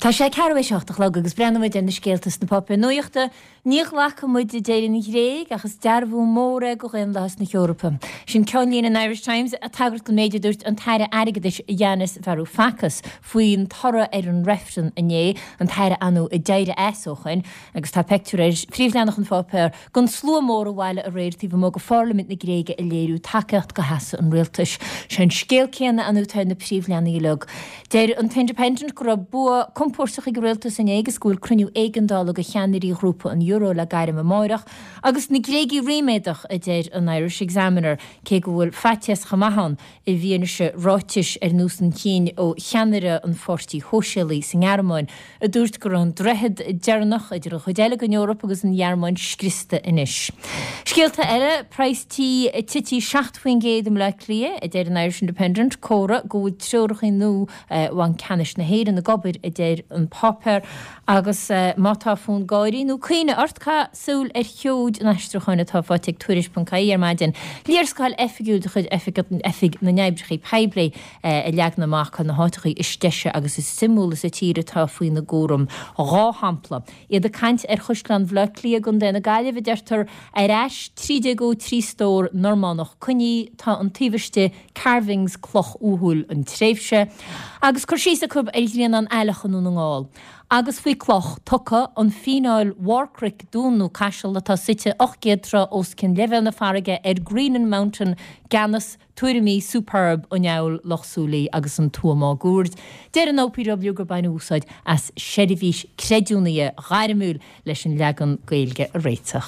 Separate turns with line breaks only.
Tá sé ceathrú théis a 8 a chlog agus breathnóidh muid ar na scéalta sna páipéir nuachta. Ní ghlacfaidh muid, a deir an Ghréig, ach is dearbhú mór é do dhaonlathas na hEorpa. Sin ceannlíne an Irish Times, ag tagairt don méid a dúirt an tAire Airgeadais Yanis Varoufakis faoin toradh ar an reifreann inné, an tAire ar ndóigh a d'éirigh as ó shoin, agus tá peictiúr ar phríomhleathanach an pháipéir den slua mór a bhailigh aréir taobh amuigh de Pharlaimint na Gréige ag léiriú tacaíocht do sheasamh an rialtais. Sé an scéal céanna ar ndóigh atá ar na príomhleathanaigh uilig. Deir an t-Independent go raibh bua compóirteach ag an rialtas inné agus go bhfuil cruinniú éigeandála de cheannairí Ghrúpa an Euro le gairm amáireach, agus na Gréagaigh ríméadach, a deir an Irish Examiner, cé go bhfuil faitíos chomh maith ann i bhfianaise ráitis ar nós an chinn ó cheannaire an Pháirtí Shóisialaigh sa nGearmáin a dúirt go raibh an droichead deireanach idir an chuid eile den Eoraip agus an Ghearmáin scriosta anois. Scéalta eile, Praghas tí tite 7% i mBleá Cliath, a deir an Irish Independent, comhartha go bhfuil treoracha nua Bhanc Ceannais na hÉireann ag obair, a deir an páipéar. Agus má tá fonn gáirí nó caoineadh ort, caith súil ar sheoid an aistriúcháin atá faighte ag Tuairisc.ie ar maidin. Léarscáil oifigiúil de chuid Oifig na nOibreacha Poiblí. a leagann amach cá na háiteachaí is deise agus is suimiúla sa tír atá faoina gcúram. 2 shampla. Iad ag caint ar Chaisleán Bhaile Átha Cliath i gContae na Gaillimhe, a deirtear, ar ais 1303 stór Normánach coinnithe, tá an taobh istigh carvings cloch uathúil an tréimhse, agus cur síos acu ar Ghrianán Aileach i nDún na nGall. Agus faoi cloch tugtha, an fíneáil Bharrcnoic Dún nó Caiseal atá suite 800 troigh os cionn leibhéal na farraige ar Greenan Mountain gCeannas Tuairimí superb an Fheabhail, Loch Súilí agus an tuath máguaird. Deir an OPW gur baineadh úsáid as seirbhís creidiúnaithe ghairmiúil leis an leagan Gaeilge a réiteach.